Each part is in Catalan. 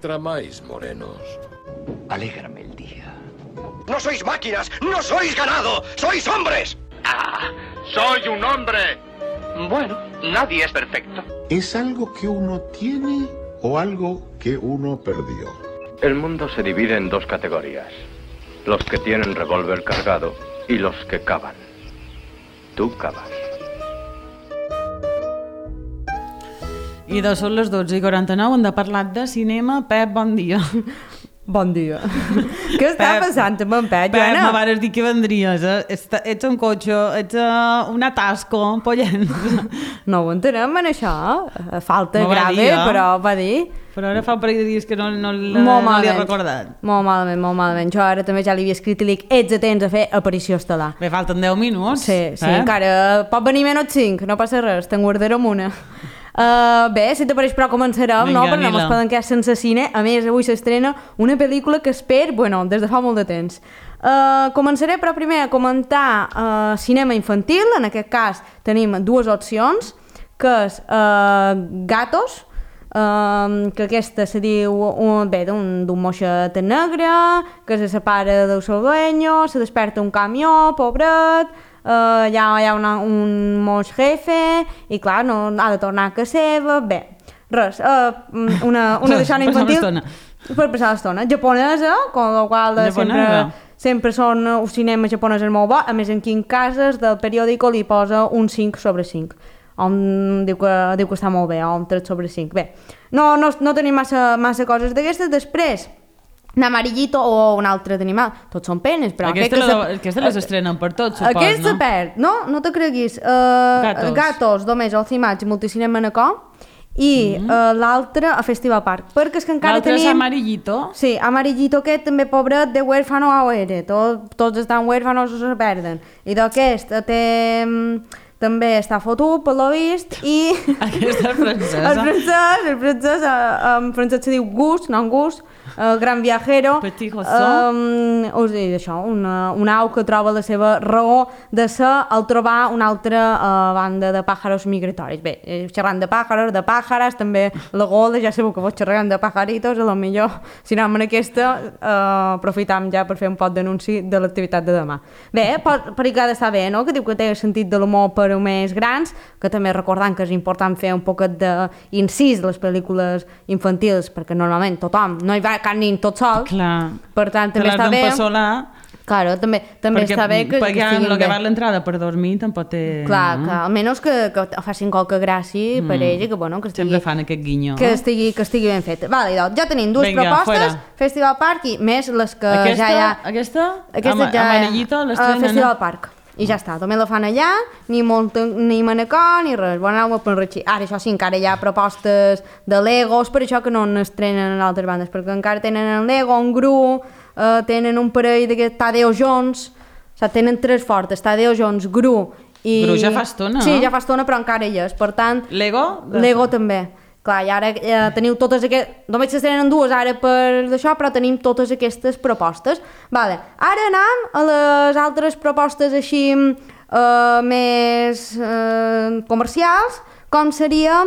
Tramáis, morenos. Alégrame el día. No sois máquinas, no sois ganado, sois hombres. ¡Ah! ¡Soy un hombre! Bueno, nadie es perfecto. ¿Es algo que uno tiene o algo que uno perdió? El mundo se divide en dos categorías. Los que tienen revólver cargado y los que cavan. Tú cavas. I de són les 12:49, hem de parlar de cinema. Pep, bon dia. Bon dia. Què està passant amb en Pep, Pep, Joana? m'aves dir que vendries. Ets un cotxe, ets un atasco, pollent. No ho entenem, en això. Falta grave, però va dir... Però ara fa un parell de dies que no li he recordat. Molt malament, molt malament. Jo ara també ja li havia escrit i li dic, ets atents a fer aparició estel·lar. Bé, falten 10 minuts. Sí, encara pot venir menys 5, no passa res, te'n guardarem una. Bé, si t'apareix, però començarem, no? Perquè no ens poden quedar sense cine. A més, avui s'estrena una pel·lícula que espero, des de fa molt de temps. Començaré, però primer a comentar cinema infantil. En aquest cas tenim dues opcions, que és Gatos, que aquesta se diu d'un moixet negre que se separa del seu dueño, se desperta un camió, pobret, hi ha un moix jefe i clar, no ha de tornar a casa seva. Bé, res, una deixona infantil per passar l'estona, japonesa, con la qual sempre són un cinema japonès molt bo. A més, aquí en cases del periòdico li posa un 5/5. Diu que està molt bé, o un 3/5. Bé, no tenim massa coses d'aquestes. Després, Namarillito o un altre d'animal, tots són penes, però aquesta les estrenen per tots, supos, no? Aquesta perd, no te creguis. Gatos, només al Cimatge, Multicinem Manacor, i l'altre a Festival Park, perquè és que encara tenim... L'altre és Amarillito? Sí, Amarillito aquest també, pobret, de huérfano a huere, tots estan huérfanos o se perden, i d'aquest també està fotut, per lo vist, i... Aquesta és francesa. El francès, en francès se diu Gus, no en Gus, Gran Viajero. Petit Rousseau. Us dic això, una au que troba la seva raó de ser al trobar una altra banda de pàjaros migratoris. Bé, xerrant de pàjares, també la gola, ja sabeu que vos xerrant de pajaritos, a lo millor, si anem en aquesta, aprofitam ja per fer un pot d'anunci de l'activitat de demà. Bé, per que ha d'estar bé, no?, que diu que té sentit de l'humor per a més grans, que també recordant que és important fer un poquet d'incís de les pel·lícules infantils, perquè normalment tothom, no hi va cap nin tot sol. Clar. Per tant, també està bé. Claro, també està bé que estiguin bé. Perquè va l'entrada per dormir tampoc té... Clar, que almenys que facin qualque gràcia per ell i que estigui... Sempre fan aquest guinyo. Que estigui ben fet. Vale, doncs, ja tenim dues propostes, Festival Park i més les que ja hi ha... Aquesta? Amarillito l'estrenen? Festival Park. I ja està, també la fan allà, ni Manacor, ni res, bon anar per enriquir. Ara, això sí, encara hi ha propostes de Legos, per això que no n'estrenen en altres bandes, perquè encara tenen en Lego, en Gru, tenen un parell d'aquest Tadeo Jones, o sigui, tenen tres fortes, Tadeo Jones, Gru i... Gru ja fa estona, no? Sí, ja fa estona, però encara hi és, per tant... Lego? Lego també. Clar, i ara teniu totes aquestes... Només s'estrenen dues ara per d'això, però tenim totes aquestes propostes. Vale. Ara anem a les altres propostes així més comercials, com seria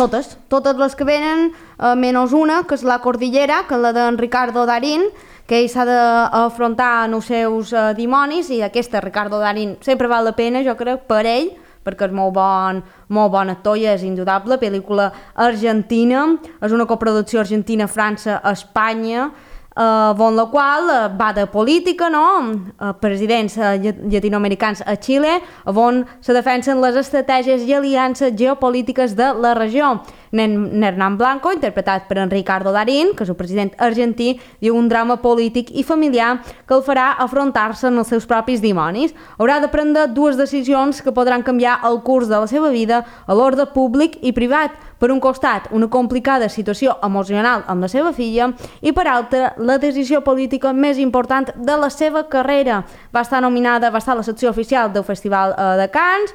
totes les que venen, menys una, que és la Cordillera, que és la d'en Ricardo Darín, que ell s'ha d'afrontar en els seus dimonis, i aquesta Ricardo Darín sempre val la pena, jo crec, per ell, perquè és molt bon actor i és indudable. Pel·lícula argentina, és una coproducció Argentina-França-Espanya, on la qual va de política, no?, presidents llatinoamericans a Xile, on se defensen les estratègies i aliances geopolítiques de la regió. Hernán Blanco, interpretat per en Ricardo Darín, que és el president argentí, diu un drama polític i familiar que el farà afrontar-se en els seus propis dimonis. Haurà de prendre dues decisions que podran canviar el curs de la seva vida a l'ordre públic i privat. Per un costat, una complicada situació emocional amb la seva filla i per altra, la decisió política més important de la seva carrera. Va estar nominada, va estar a la secció oficial del Festival de Cannes,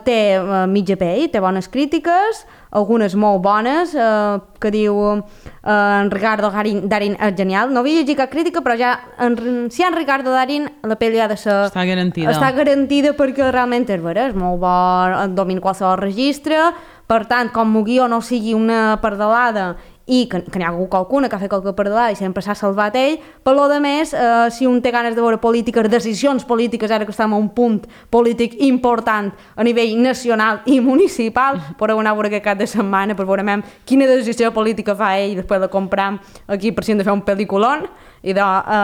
té mitja pell, té bones crítiques, algunes molt bones, que diu en Ricardo Darín és genial. No havia llegit cap crítica, però ja si en Ricardo Darín la pel·li ha de ser... Està garantida. Està garantida perquè realment és vera, és molt bo, domina qualsevol registre, per tant, com el guió no sigui una pardalada i que n'hi ha hagut qualcuna que ha fet qualque perdalada i sempre s'ha salvat ell. Per lo de més, si un té ganes de veure polítiques, decisions polítiques, ara que estem a un punt polític important a nivell nacional i municipal, podeu anar a veure aquest cap de setmana per veure quina decisió política fa ell i després la compram aquí per si hem de fer un pel·lículon. I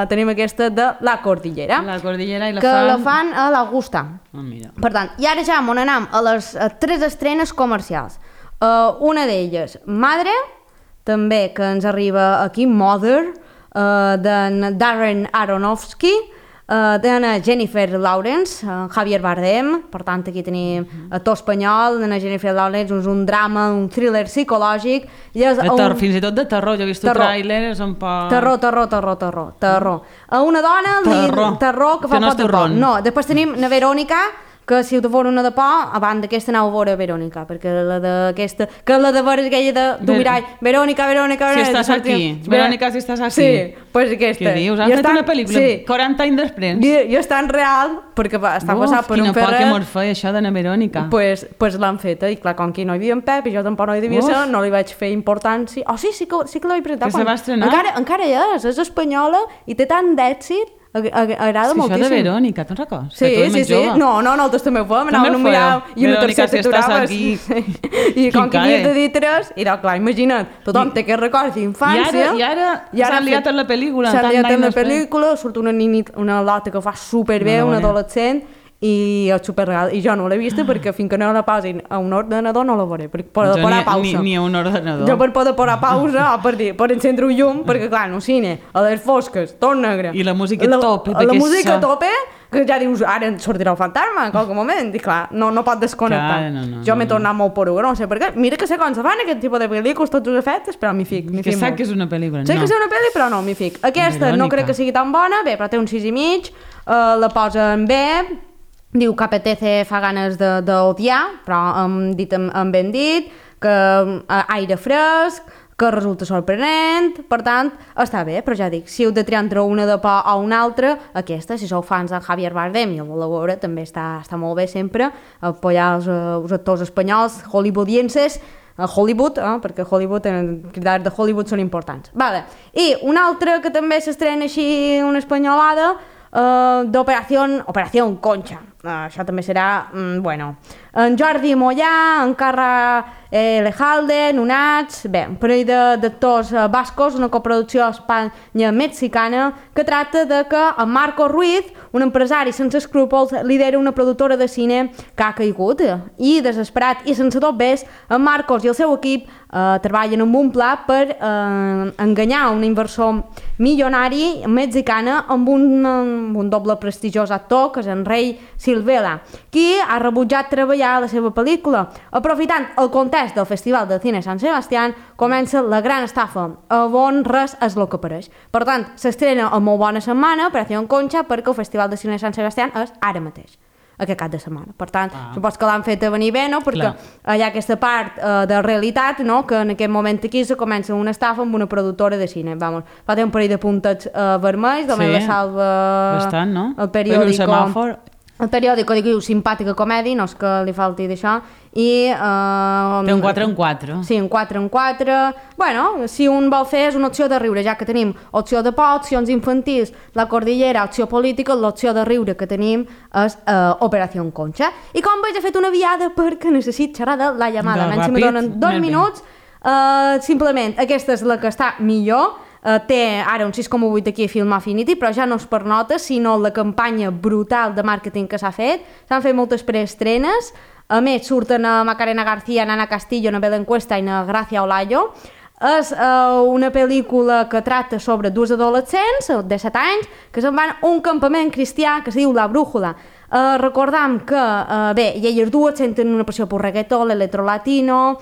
tenim aquesta de La Cordillera. La Cordillera i la que fan... la fan a l'Augusta. Per tant, i ara ja m'on anem a les 3 estrenes comercials. Una d'elles, Madre, també que ens arriba aquí, Mother, d'en Darren Aronofsky, d'en Jennifer Lawrence, Javier Bardem, per tant aquí tenim actor espanyol, d'en Jennifer Lawrence, és un drama, un thriller psicològic. Fins i tot de terror, jo he vist el tràiler, és un poc... Terror. A una dona, terror que fa no pot de por. No, després tenim la Verònica, que si heu de veure una de por, abans d'aquesta aneu a veure Verònica, perquè la d'aquesta, que la de veure aquella de mirall, Verònica. Si estàs aquí, Verònica, si estàs aquí. Sí, pues aquesta. Què dius? Han fet una pel·lícula 40 anys després. I és tan real, perquè està passat per un ferrer. Quina por que mos feia això de la Verònica. Pues l'han feta, i clar, com que no hi havia en Pep, i jo tampoc no hi devia ser, no li vaig fer importància. Sí que la vaig presentar. Que se va estrenar? Encara és espanyola, i té tant d'èxit. Agrada moltíssim. Això de Verònica, te'n recordes? Sí. No, nosaltres també ho fèiem, anàvem a mirar i una tercera t'aturaves. I com que havies de dir 3, i clar, imagina't, tothom té aquest record d'infància. I ara s'ha liat en la pel·lícula. S'ha liat en la pel·lícula, surt una lota que fa superbé, una adolescent, i és superreal, i jo no l'he vista perquè fins que no la posin a un ordenador no la veuré, per poder posar pausa. Ni a un ordenador. Jo per poder posar pausa o per encendre un llum, perquè clar, en un cine, a les fosques, tot negre. I la música a tope. La música a tope, que ja dius, ara ens sortirà el fantasma en qualque moment, i clar, no pot desconnectar. Jo m'he tornat molt poruga, no sé per què. Mira que sé com se fan aquest tipus de pel·lícules, tots els efectes, però m'hi fic. Que sap que és una pel·lícula, no. Sé que és una pel·li, però no, m'hi fic. Aquesta no crec que sigui tan bona, bé, però té un 6,5, la posen bé. Diu que apetece fa ganes d'odiar, però dit amb ben dit, que aire fresc, que resulta sorprenent, per tant, està bé, però ja dic, si heu de triar entre una de por o una altra, aquesta, si sou fans de Javier Bardem i el voleu veure, també està molt bé sempre, apoyar els actors espanyols, hollywoodienses, Hollywood, perquè Hollywood, els cridars de Hollywood són importants. Vale. I una altra que també s'estrena així, una espanyolada, d'Operació Concha. Això també serà, bueno, en Jordi Mollà, en Carra Lejalde, Nunats, bé, un parell d'actors bascos, una coproducció espanya-mexicana que tracta de que en Marco Ruiz, un empresari sense escrúpols, lidera una productora de cine que ha caigut i, desesperat i sense dobbers, en Marcos i el seu equip treballen amb un pla per enganyar un inversor milionari mexicana amb un doble prestigiós actor, que és en Rei Silvela, qui ha rebutjat treballar a la seva pel·lícula. Aprofitant el context del Festival de Cine Sant Sebastián, comença la gran estafa, on res és el que apareix. Per tant, s'estrena a molt bona setmana, Operació Concha, perquè el Festival de Cine Sant Sebastián és ara mateix, aquest cap de setmana. Per tant, supos que l'han fet a venir bé, no? Perquè hi ha aquesta part de realitat, no? Que en aquest moment aquí se comença una estafa amb una productora de cine. Vamos, fa un parell de puntets vermells, també la salva bastant, no? El periòdico. El periòdico diu simpàtica comèdia, no és que li falti d'això, i... té un 4 en 4. Sí, un 4 en 4. Bueno, si un vol fer és una opció de riure, ja que tenim opció de por, opcions infantils, La Cordillera, opció política, l'opció de riure que tenim és Operació Concha. I com veig, he fet una viada perquè necessito xerrar de la llamada. Menys si me donen 2 minuts, simplement aquesta és la que està millor. Té ara un 6,8 aquí a Film Affinity, però ja no és per notes, sinó la campanya brutal de màrqueting que s'ha fet. S'han fet moltes preestrenes, a més surten a Macarena García, Nana Castillo, na Belén Cuesta i na Gracia Olayo. És una pel·lícula que tracta sobre dues adolescents de 7 anys que se'n van a un campament cristià que se diu La Brújula. Recordam que, bé, i elles dues senten una passió per reggaeton, l'electrolatino,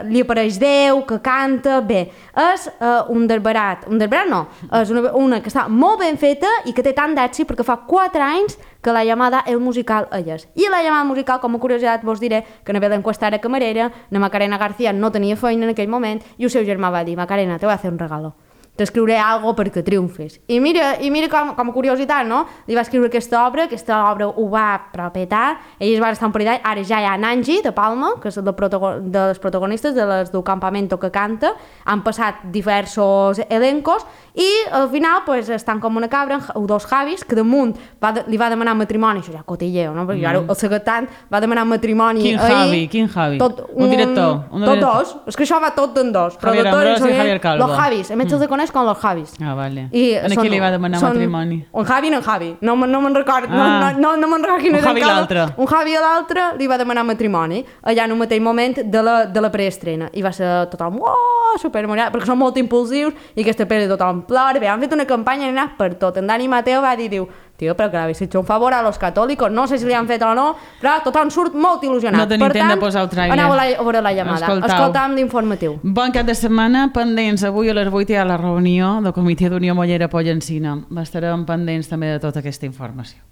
li apareix Déu, que canta, bé, és un desbarat no, és una que està molt ben feta i que té tant d'èxit perquè fa 4 anys que La Llamada és musical elles. I La Llamada musical, com a curiositat, vos diré que na Belén Cuesta era camarera, na Macarena García no tenia feina en aquell moment i el seu germà va dir, Macarena, te voy a hacer un regalo. t'escriuré alguna cosa perquè triomfes. I mira com a curiositat, no? Li va escriure aquesta obra ho va prepetar, ell es va estar un parell d'anys, ara ja hi ha Nanji, de Palma, que és de les protagonistes de les del Campamento que canta, han passat diversos elencos, i al final pues, estan com una cabra, dos Javis, que damunt li va demanar matrimoni, això ja cotilleo, no? Perquè ara el secretant va demanar matrimoni ahir. Quin Javi? Un director? Tot dos, és que això va tot en dos. Javier Ambrós i Javier Calvo. Los Javis, a més els coneix com los Javis. Ah, vale. A qui li va demanar matrimoni? Un Javi i un Javi, no me'n recordo, no me'n recordo quin era el cas. Un Javi i l'altre li va demanar matrimoni, allà en un mateix moment de la preestrena, i va ser tothom, supermorat, perquè són molt impulsius, i aquesta pel·li tothom plora, han fet una campanya, han anat per tot. En Dani Mateo va dir, tio, però que l'habéis hecho un favor a los católicos, no sé si li han fet o no, però tothom surt molt il·lusionat. No tenim temps de posar el trailer. Aneu a veure la llamada. Escoltam l'informatiu. Bon cap de setmana, pendents. Avui a les 8 hi ha la reunió del Comitè d'Unió Mollera Pollencina. Estarem pendents també de tota aquesta informació.